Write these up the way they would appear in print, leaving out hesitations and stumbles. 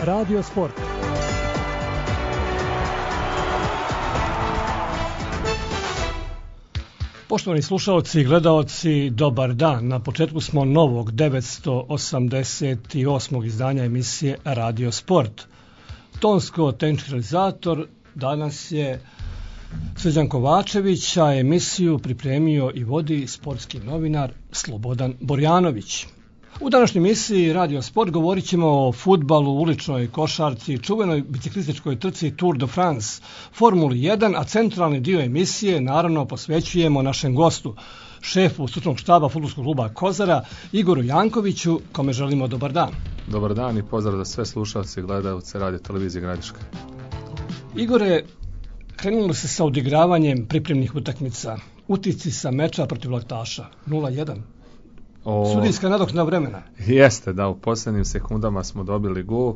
Radio Sport. Poštovani slušalci i gledaoci, dobar dan. Na početku smo novog 988. izdanja emisije Radio Sport. Tonsko-tehnički realizator danas je Srđan Kovačević, a emisiju pripremio i vodi sportski novinar Slobodan Borjanović. U današnjoj emisiji Radio Sport govorit ćemo o fudbalu, uličnoj košarci, čuvenoj biciklističkoj trci Tour de France, Formuli 1, a centralni dio emisije naravno posvećujemo našem gostu, šefu stručnog štaba fudbalskog kluba Kozara, Igoru Jankoviću, kome želimo dobar dan. Dobar dan i pozdrav za sve slušalce i gledalce Radio televizije Gradiška. Igore, krenulo se sa odigravanjem pripremnih utakmica. Utisci sa meča protiv Laktaša 0-1. Sudijska nadoknada vremena. Jeste, da, u posljednjim sekundama smo dobili gol.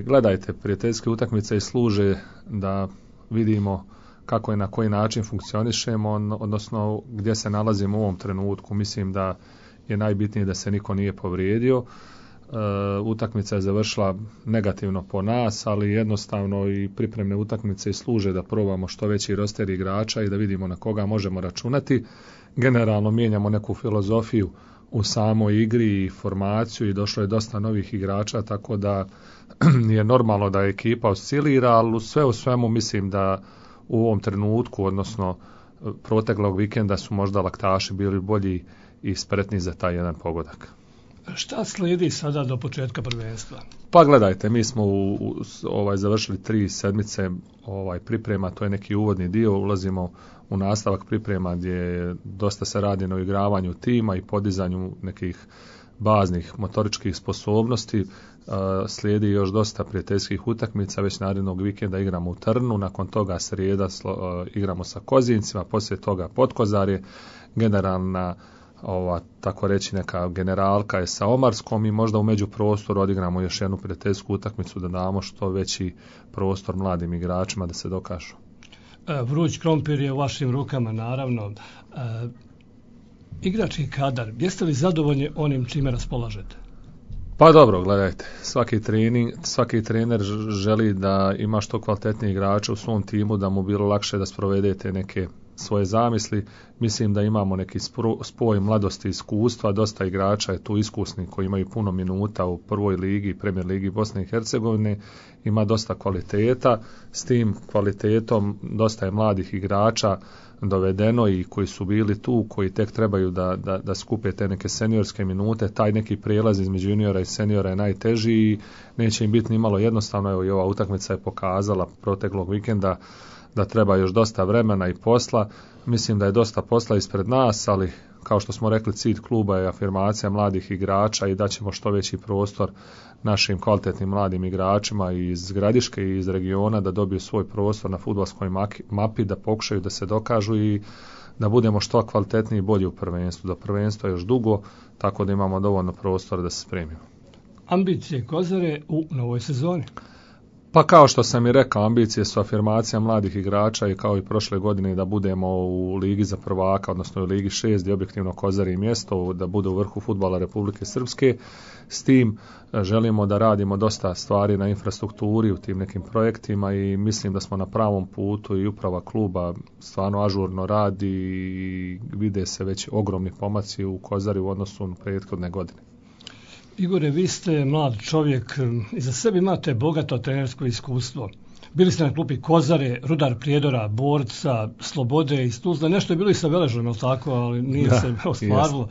Gledajte, prijateljske utakmice i služe da vidimo kako i na koji način funkcionišemo, odnosno gdje se nalazimo u ovom trenutku. Mislim da je najbitnije da se niko nije povrijedio. Utakmica je završila negativno po nas, ali jednostavno i pripremne utakmice i služe da probamo što veći roster igrača i da vidimo na koga možemo računati. Generalno mijenjamo neku filozofiju u samoj igri i formaciju i došlo je dosta novih igrača, tako da je normalno da ekipa oscilira, ali sve u svemu mislim da u ovom trenutku, odnosno proteklog vikenda, su možda Laktaši bili bolji i spretni za taj jedan pogodak. Šta slijedi sada do početka prvenstva? Pa gledajte, mi smo završili 3 sedmice priprema, to je neki uvodni dio, ulazimo u nastavak priprema gdje dosta se radi na uigravanju tima i podizanju nekih baznih motoričkih sposobnosti. Slijedi još dosta prijateljskih utakmica, već narednog vikenda igramo u Trnu, nakon toga srijeda igramo sa Kozincima, poslije toga Potkozarje, generalna tako reći neka generalka je sa Omarskom i možda u međuprostoru odigramo još jednu prijateljsku utakmicu da damo što veći prostor mladim igračima da se dokažu. Vruć krompir je u vašim rukama, naravno. Igrački kadar, jeste li zadovoljni onim čime raspolažete? Pa dobro, gledajte, svaki trener želi da ima što kvalitetniji igrača u svom timu, da mu bilo lakše da sprovedete neke svoje zamisli. Mislim da imamo neki spoj mladosti i iskustva, dosta igrača je tu iskusni koji imaju puno minuta u prvoj ligi, Premier ligi Bosne i Hercegovine, ima dosta kvaliteta, s tim kvalitetom dosta je mladih igrača dovedeno i koji su bili tu, koji tek trebaju da skupe te neke seniorske minute. Taj neki prijelaz između juniora i seniora je najteži i neće im biti ni malo jednostavno. Evo i ova utakmica je pokazala proteklog vikenda da treba još dosta vremena i posla. Mislim da je dosta posla ispred nas, ali kao što smo rekli, cilj kluba je afirmacija mladih igrača i da ćemo što veći prostor našim kvalitetnim mladim igračima iz Gradiške i iz regiona da dobiju svoj prostor na fudbalskoj mapi, da pokušaju da se dokažu i da budemo što kvalitetniji i bolji u prvenstvu. Do prvenstva je još dugo, tako da imamo dovoljno prostora da se spremimo. Ambicije Kozare u novoj sezoni? Pa kao što sam i rekao, ambicije su afirmacija mladih igrača i kao i prošle godine da budemo u Ligi za prvaka, odnosno u Ligi 6 gdje objektivno Kozari mjesto, da bude u vrhu fudbala Republike Srpske. S tim želimo da radimo dosta stvari na infrastrukturi u tim nekim projektima i mislim da smo na pravom putu i uprava kluba stvarno ažurno radi i vide se već ogromni pomaci u Kozari u odnosu na prethodne godine. Igore, vi ste mlad čovjek, iza sebe imate bogato trenersko iskustvo. Bili ste na klupi Kozare, Rudar Prijedora, Borca, Slobode iz Tuzla, nešto je bilo i sa Veležom, tako, ali nije se ostvarilo.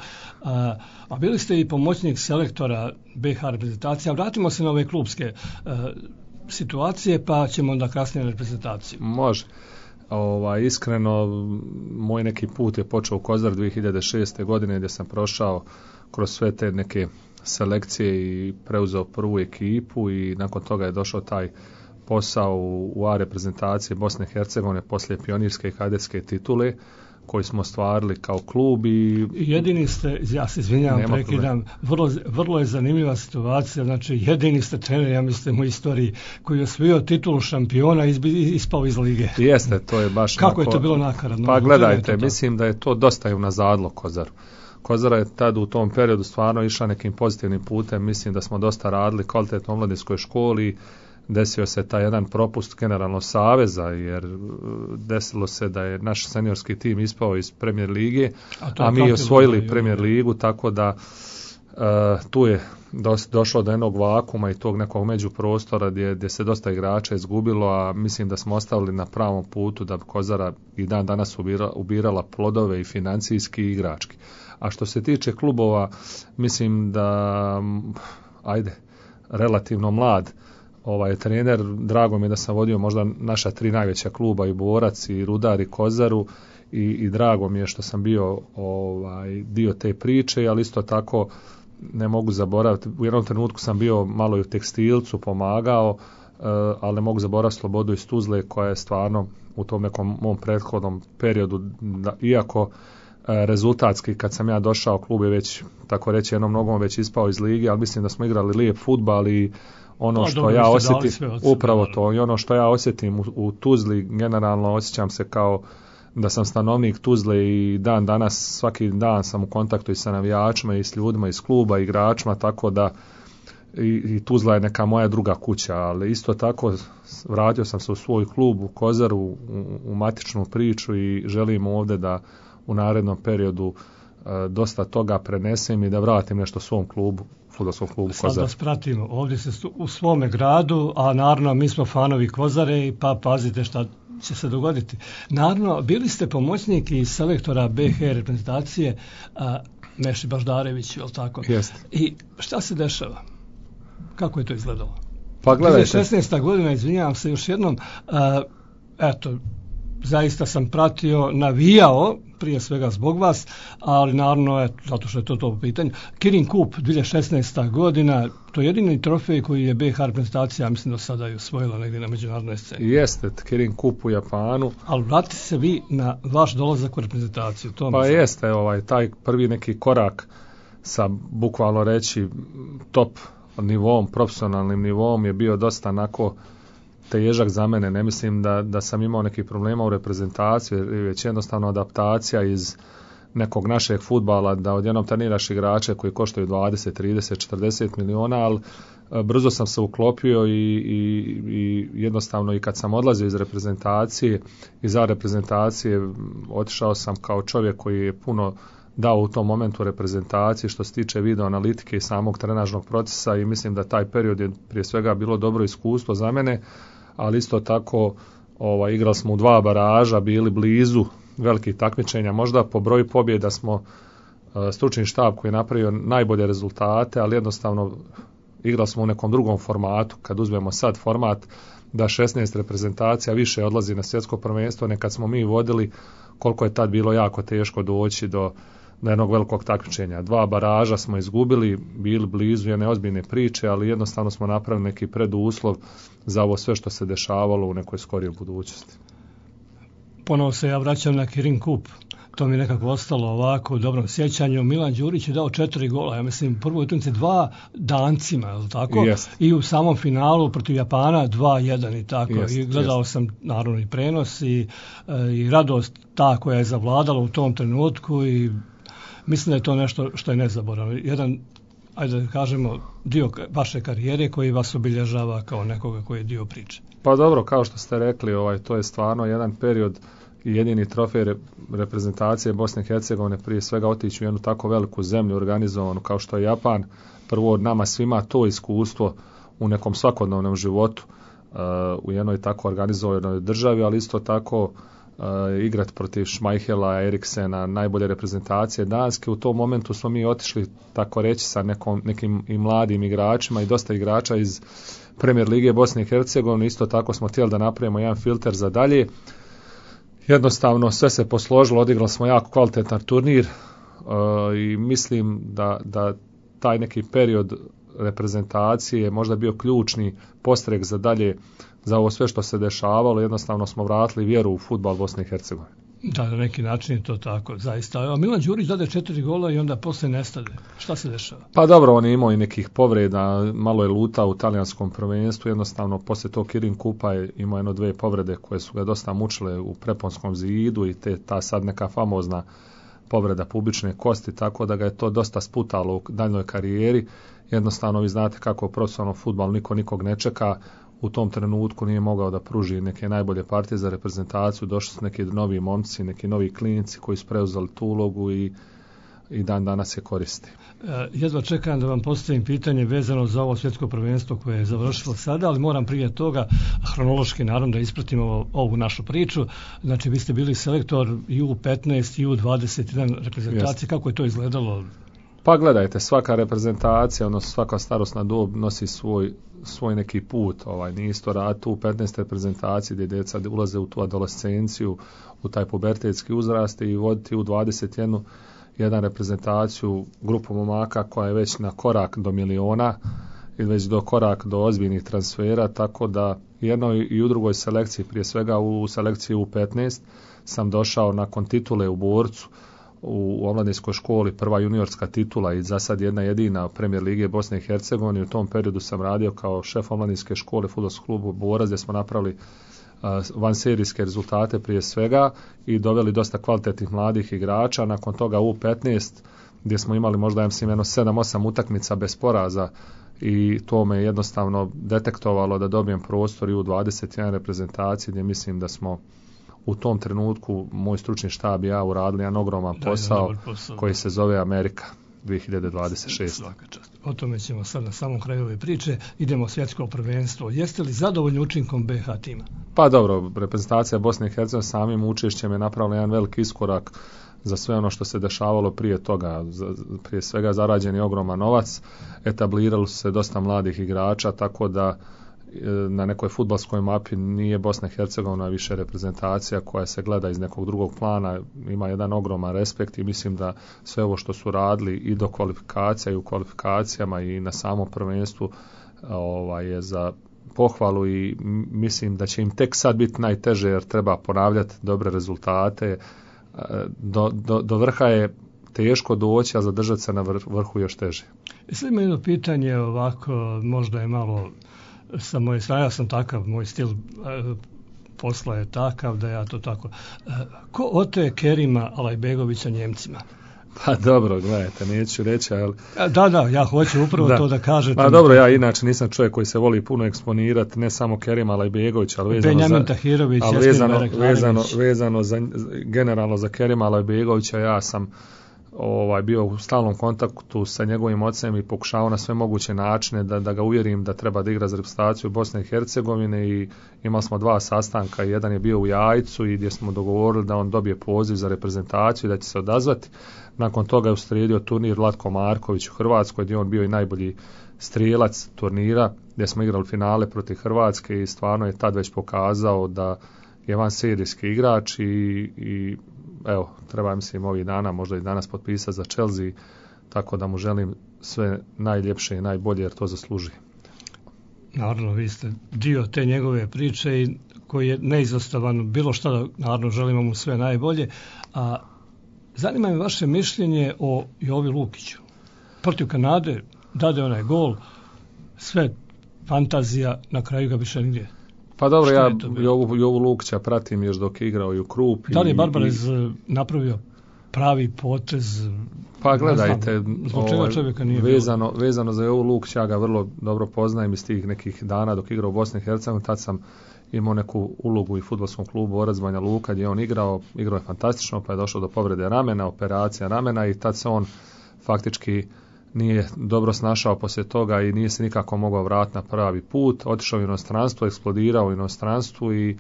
A bili ste i pomoćnik selektora BiH reprezentacije. Vratimo se na ove klubske situacije, pa ćemo onda kasnije na reprezentaciju. Može. Iskreno, moj neki put je počeo u Kozar 2006. godine gdje sam prošao kroz sve te neke selekcije i preuzeo prvu ekipu i nakon toga je došao taj posao u A reprezentacije Bosne i Hercegovine poslije pionirske i kadetske titule koji smo ostvarili kao klub i jedini ste, ja se izvinjavam, prekidam, vrlo je zanimljiva situacija, znači jedini ste trener, ja mislim, u istoriji koji je osvojio titulu šampiona i ispao iz lige. Jeste, to je baš kako je to bilo nakaradno? Pa gledajte, mislim da je to dosta i unazadlo Kozaru. Kozara je tad u tom periodu stvarno išla nekim pozitivnim putem, mislim da smo dosta radili kvalitetno u omladinskoj školi, desio se taj jedan propust generalno saveza, jer desilo se da je naš seniorski tim ispao iz Premier lige, a mi osvojili Premier ligu, tako da tu je došlo do jednog vakuma i tog nekog međuprostora gdje se dosta igrača izgubilo, a mislim da smo ostavili na pravom putu da Kozara i dan danas ubirala plodove i financijski i igrački. A što se tiče klubova, mislim da, relativno mlad trener, drago mi je da sam vodio možda naša 3 najveća kluba, i Borac, i Rudar, i Kozaru, i drago mi je što sam bio dio te priče, ali isto tako ne mogu zaboraviti, u jednom trenutku sam bio malo i u tekstilcu, pomagao, ali ne mogu zaboraviti Slobodu iz Tuzle, koja je stvarno u tom nekom mom prethodnom periodu, iako rezultatski kad sam ja došao, klub je već, tako reći, jednom nogom već ispao iz lige, ali mislim da smo igrali lijep fudbal i ono što ja osjetim, upravo to, i ono što ja osjetim u Tuzli, generalno osjećam se kao da sam stanovnik Tuzle i dan danas, svaki dan sam u kontaktu i sa navijačima i s ljudima iz kluba, igračima, tako da i Tuzla je neka moja druga kuća, ali isto tako vratio sam se u svoj klub, u Kozaru, u matičnu priču i želim ovdje da u narednom periodu dosta toga prenesem i da vratim nešto svom klubu, fudbalskom klubu Kozar. Sad vas pratimo, ovdje se u svome gradu, a naravno mi smo fanovi Kozare, pa pazite šta će se dogoditi. Naravno, bili ste pomoćnik i selektora BH reprezentacije Meši Baždarević, je li tako? Jeste. I šta se dešava? Kako je to izgledalo? Pa gledajte. 16. godina, izvinjavam se još jednom, zaista sam pratio, navijao, prije svega zbog vas, ali naravno, zato što je to pitanje. Kirin Kup, 2016. godina, to je jedini trofej koji je BH reprezentacija, mislim da sada je osvojila negdje na međunarodnoj sceni. Jeste, Kirin Kup u Japanu. Ali vratite se vi na vaš dolazak u reprezentaciju. Pa jeste, taj prvi neki korak sa, bukvalno reći, top nivom, profesionalnim nivom je bio dosta onako težak za mene. Ne mislim da sam imao nekih problema u reprezentaciji, već jednostavno adaptacija iz nekog našeg fudbala, da odjednom treniraš igrače koji koštaju 20, 30, 40 miliona, ali brzo sam se uklopio i jednostavno i kad sam odlazio iz reprezentacije, iza reprezentacije, otišao sam kao čovjek koji je puno dao u tom momentu reprezentaciji što se tiče video analitike i samog trenažnog procesa, i mislim da taj period je prije svega bilo dobro iskustvo za mene, ali isto tako igrali smo u 2 baraža, bili blizu velikih takmičenja, možda po broju pobjeda smo stručni štab koji je napravio najbolje rezultate, ali jednostavno igrali smo u nekom drugom formatu. Kad uzmemo sad format da 16 reprezentacija više odlazi na svjetsko prvenstvo, nekad smo mi vodili, koliko je tad bilo jako teško doći do jednog velikog takmičenja. 2 baraža smo izgubili, bili blizu jedne ozbiljne priče, ali jednostavno smo napravili neki preduslov za ovo sve što se dešavalo u nekoj skorijoj budućnosti. Ponovo se ja vraćam na Kirin Kup. To mi je nekako ostalo ovako u dobrom sjećanju. Milan Đurić je dao 4 gola, ja mislim prvoj utakmici 2 Dancima, je li tako? Yes. I u samom finalu protiv Japana 2-1 i tako. Yes, I gledao sam naravno i prenos i radost ta koja je zavladala u tom trenutku i mislim da je to nešto što je nezaboravno. Jedan, ajde da kažemo, dio vaše karijere koji vas obilježava kao nekoga koji je dio priče. Pa dobro, kao što ste rekli, to je stvarno jedan period i jedini trofej reprezentacije Bosne i Hercegovine, prije svega otići u jednu tako veliku zemlju organizovanu kao što je Japan. Prvo od nama svima to iskustvo u nekom svakodnevnom životu u jednoj tako organizovanoj državi, ali isto tako igrati protiv Šmajhela, Eriksena, najbolje reprezentacije Danske. U tom momentu smo mi otišli, tako reći, sa nekim i mladim igračima i dosta igrača iz Premier lige Bosne i Hercegovine. Isto tako smo htjeli da napravimo jedan filter za dalje. Jednostavno sve se posložilo, odigrali smo jako kvalitetan turnir i mislim da taj neki period reprezentacije je možda bio ključni postrek za dalje, za ovo sve što se dešavalo. Jednostavno smo vratili vjeru u fudbal Bosne i Hercegovine. Da, na neki način je to tako, zaista. A Milan Đurić dade 4 gola i onda poslije nestade. Šta se dešava? Pa dobro, on je imao i nekih povreda, malo je lutao u talijanskom prvenstvu, jednostavno poslije tog Kirin Kupa je imao 1-2 povrede koje su ga dosta mučile u preponskom zidu i ta sad neka famozna povreda pubične kosti, tako da ga je to dosta sputalo u daljnjoj karijeri. Jednostavno vi znate kako u profesionalnom fudbalu niko nikog ne čeka, u tom trenutku nije mogao da pruži neke najbolje partije za reprezentaciju, došli su neki novi momci, neki novi klinici koji su preuzeli tu ulogu i dan danas je koristi. Jedva čekam da vam postavim pitanje vezano za ovo svjetsko prvenstvo koje je završilo sada, ali moram prije toga hronološki naravno da ispratimo ovu našu priču. Znači vi ste bili selektor i U15 i U21 reprezentacije. Kako je to izgledalo? Pa gledajte, svaka reprezentacija, odnosno svaka starosna dob nosi svoj neki put. Nije isto raditi u 15 reprezentaciji gdje djeca ulaze u tu adolescenciju, u taj pubertetski uzrast i voditi u 21 reprezentaciju, grupu momaka koja je već na korak do miliona i već do korak do ozbiljnih transfera, tako da jednoj i u drugoj selekciji, prije svega u selekciji U15 sam došao nakon titule u Borcu u omladinskoj školi, prva juniorska titula i za sad jedna jedina Premijer lige Bosne i Hercegovine. U tom periodu sam radio kao šef omladinske škole fudbalskog kluba Borac, gdje smo napravili vanserijske rezultate prije svega i doveli dosta kvalitetnih mladih igrača. Nakon toga U15 gdje smo imali možda 7-8 utakmica bez poraza i to me jednostavno detektovalo da dobijem prostor i u 21 reprezentaciji gdje mislim da smo u tom trenutku moj stručni štab i ja uradili jedan ogroman posao koji se zove Amerika 2026. O tome ćemo sad na samom kraju ove priče. Idemo u svjetsko prvenstvo. Jeste li zadovoljni učinkom BiH tima? Pa dobro, reprezentacija Bosne i Hercegovine samim učešćem je napravila jedan veliki iskorak za sve ono što se dešavalo prije toga. Prije svega zarađen je ogroman novac, etablirali su se dosta mladih igrača, tako da na nekoj fudbalskoj mapi nije Bosna i Hercegovina više reprezentacija koja se gleda iz nekog drugog plana, ima jedan ogroman respekt i mislim da sve ovo što su radili i do kvalifikacija i u kvalifikacijama i na samom prvenstvu je za pohvalu i mislim da će im tek sad biti najteže jer treba ponavljati dobre rezultate. Do vrha je teško doći, a zadržati se na vrhu još teže. Sad ima jedno pitanje ovako, možda je malo sa moje strane, ja sam takav, moj stil posla je takav da ja to tako. Ko ote Kerima Alajbegovića Njemcima? Pa dobro, gledajte, neću reći, ali... Da, ja hoću upravo to da kažete. Pa dobro, ja inače nisam čovjek koji se voli puno eksponirati, ne samo Kerima Alajbegovića, ali vezano za generalno za Kerima Alajbegovića, ja sam bio u stalnom kontaktu sa njegovim ocem i pokušao na sve moguće načine da ga uvjerim da treba da igra za reprezentaciju Bosne i Hercegovine i imali smo 2 sastanka, jedan je bio u Jajcu i gdje smo dogovorili da on dobije poziv za reprezentaciju i da će se odazvati. Nakon toga je uslijedio turnir Vlatko Marković u Hrvatskoj gdje on bio i najbolji strijelac turnira gdje smo igrali finale protiv Hrvatske i stvarno je tad već pokazao da je vanserijski igrač i evo, treba mislim ovih dana, možda i danas potpisati za Chelsea, tako da mu želim sve najljepše i najbolje jer to zasluži. Naravno, vi ste dio te njegove priče i koji je neizostavan bilo šta da naravno želimo mu sve najbolje. A zanima me vaše mišljenje o Jovi Lukiću. Protiv Kanade dade onaj gol, sve fantazija, na kraju ga više nigdje. Pa dobro, ja Jovu Lukića pratim još dok je igrao i u Krupi. Da li je Barbarez napravio pravi potez? Pa gledajte, zbog čega čovjeka nije vezano za Jovu Lukića, ja ga vrlo dobro poznajem iz tih nekih dana dok igrao u Bosni i Hercegovini, tad sam imao neku ulogu i fudbalskom klubu Orac Banja Luka gdje je on igrao je fantastično, pa je došlo do povrede ramena, operacija ramena i tad se on faktički nije dobro snašao poslije toga i nije se nikako mogao vratiti na pravi put. Otišao u inostranstvo, eksplodirao u inostranstvu i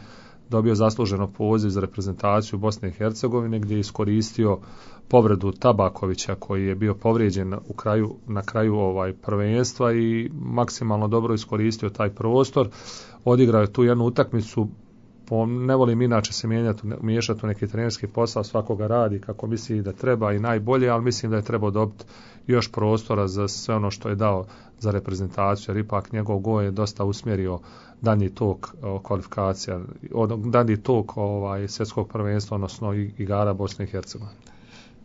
dobio zasluženo poziv za reprezentaciju Bosne i Hercegovine gdje je iskoristio povredu Tabakovića koji je bio povrijeđen na kraju prvenstva i maksimalno dobro iskoristio taj prostor. Odigrao je tu jednu utakmicu. Ne volim inače se miješati u neki trenerski posao, svakoga radi kako misli da treba i najbolje, ali mislim da je trebao dobiti još prostora za sve ono što je dao za reprezentaciju, jer ipak njegov gol je dosta usmjerio danji tok kvalifikacija, danji tok svjetskog prvenstva, odnosno igara Bosne i Hercegovine.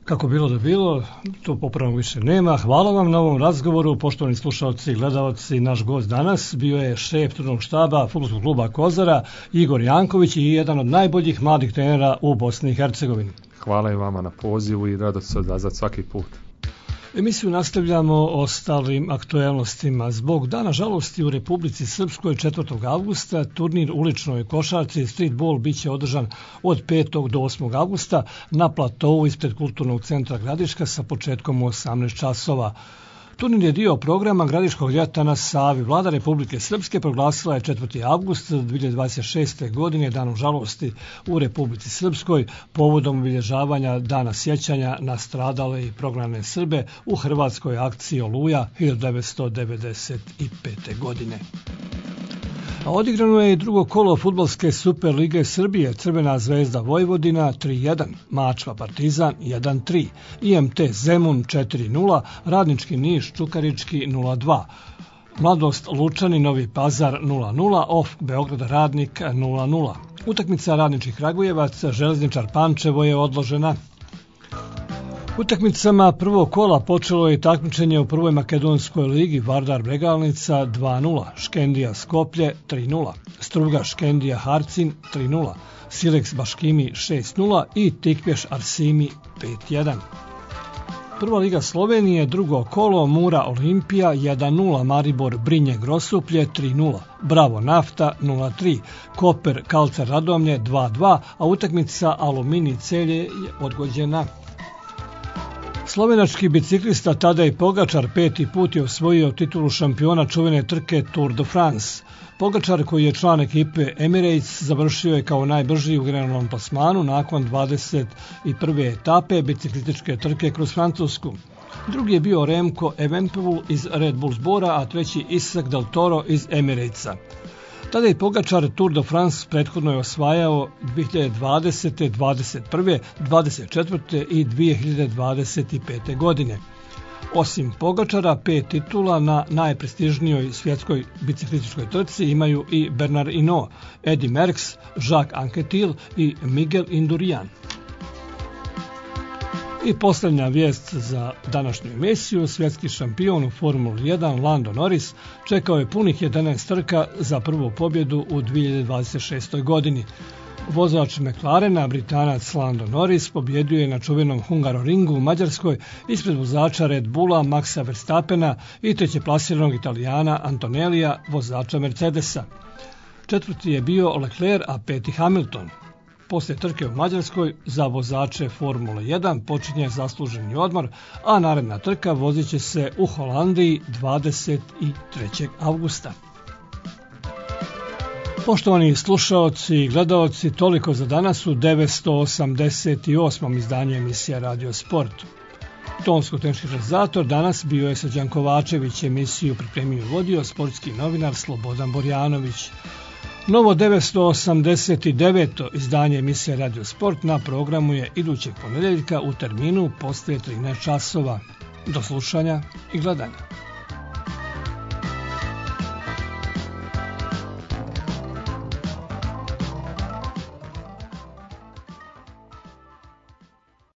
Kako bilo da bilo, to popravno više nema. Hvala vam na ovom razgovoru, poštovani slušalci i gledalci. Naš gost danas bio je šef turnog štaba fudbalskog kluba Kozara, Igor Janković i jedan od najboljih mladih trenera u Bosni i Hercegovini. Hvala i vama na pozivu i rado se odazvati svaki put. Emisiju nastavljamo ostalim aktuelnostima. Zbog Dana žalosti u Republici Srpskoj 4. avgusta turnir uličnoj košarci streetball biće održan od 5. do 8. avgusta na platovu ispred Kulturnog centra Gradiška sa početkom u 18 časova. Turnir je dio programa Gradiškog ljeta na Savi. Vlada Republike Srpske proglasila je 4. avgust 2026. godine Danom žalosti u Republici Srpskoj povodom obilježavanja Dana sjećanja na stradale i prognane Srbe u hrvatskoj akciji Oluja 1995. godine. A odigrano je i drugo kolo fudbalske Super lige Srbije, Crvena zvezda Vojvodina 3-1, Mačva Partizan 1-3, IMT Zemun 4-0, Radnički Niš Čukarički 0-2, Mladost Lučani Novi Pazar 0-0, OF Beograd Radnik 0-0. Utakmica Radnički Kragujevac Železničar Pančevo je odložena. Utakmicama prvog kola počelo je takmičenje u prvoj makedonskoj ligi Vardar Bregalnica 2-0, Škendija Skoplje 3-0, Struga Škendija Harcin 3-0, Silex Baškimi 6-0 i Tikvješ Arsimi 5-1. Prva liga Slovenije, drugo kolo Mura Olimpija 1-0, Maribor Brinje Grosuplje 3-0, Bravo Nafta 0-3, Koper Kalcar Radomlje 2-2, a utakmica Aluminij Celje je odgođena. Slovenački biciklista Tadej Pogačar 5. put je osvojio titulu šampiona čuvene trke Tour de France. Pogačar, koji je član ekipe Emirates, završio je kao najbrži u generalnom plasmanu nakon 21. etape biciklističke trke kroz Francusku. Drugi je bio Remco Evenepoel iz Red Bull Zbora, a treći Isaac Del Toro iz Emiratesa. Tadej Pogačar Tour de France prethodno je osvajao 2020., 2021., 2024. i 2025. godine. Osim Pogačara, 5 titula na najprestižnijoj svjetskoj biciklističkoj trci imaju i Bernard Hinault, Eddy Merckx, Jacques Anquetil i Miguel Indurain. I posljednja vijest za današnju emisiju, svjetski šampion u Formuli 1 Lando Norris čekao je punih 11 trka za prvu pobjedu u 2026. godini. Vozač McLarena, Britanac Lando Norris, pobjedio je na čuvenom Hungaroringu u Mađarskoj ispred vozača Red Bulla Maxa Verstappena i trećeplasiranog Italijana Antonellija, vozača Mercedesa. Četvrti je bio Leclerc, a peti Hamilton. Poslije trke u Mađarskoj za vozače Formule 1 počinje zasluženi odmor, a naredna trka vozit će se u Holandiji 23. avgusta. Poštovani slušaoci i gledaoci, toliko za danas u 988. izdanju emisija Radio Sport. Tonsko-tehnički realizator danas bio je Srđan Kovačević, emisiju pripremio i vodio sportski novinar Slobodan Borjanović. Novo 989. izdanje emisije Radio Sport na programu je idućeg ponedjeljka u terminu poslije 13 časova. Do slušanja i gledanja.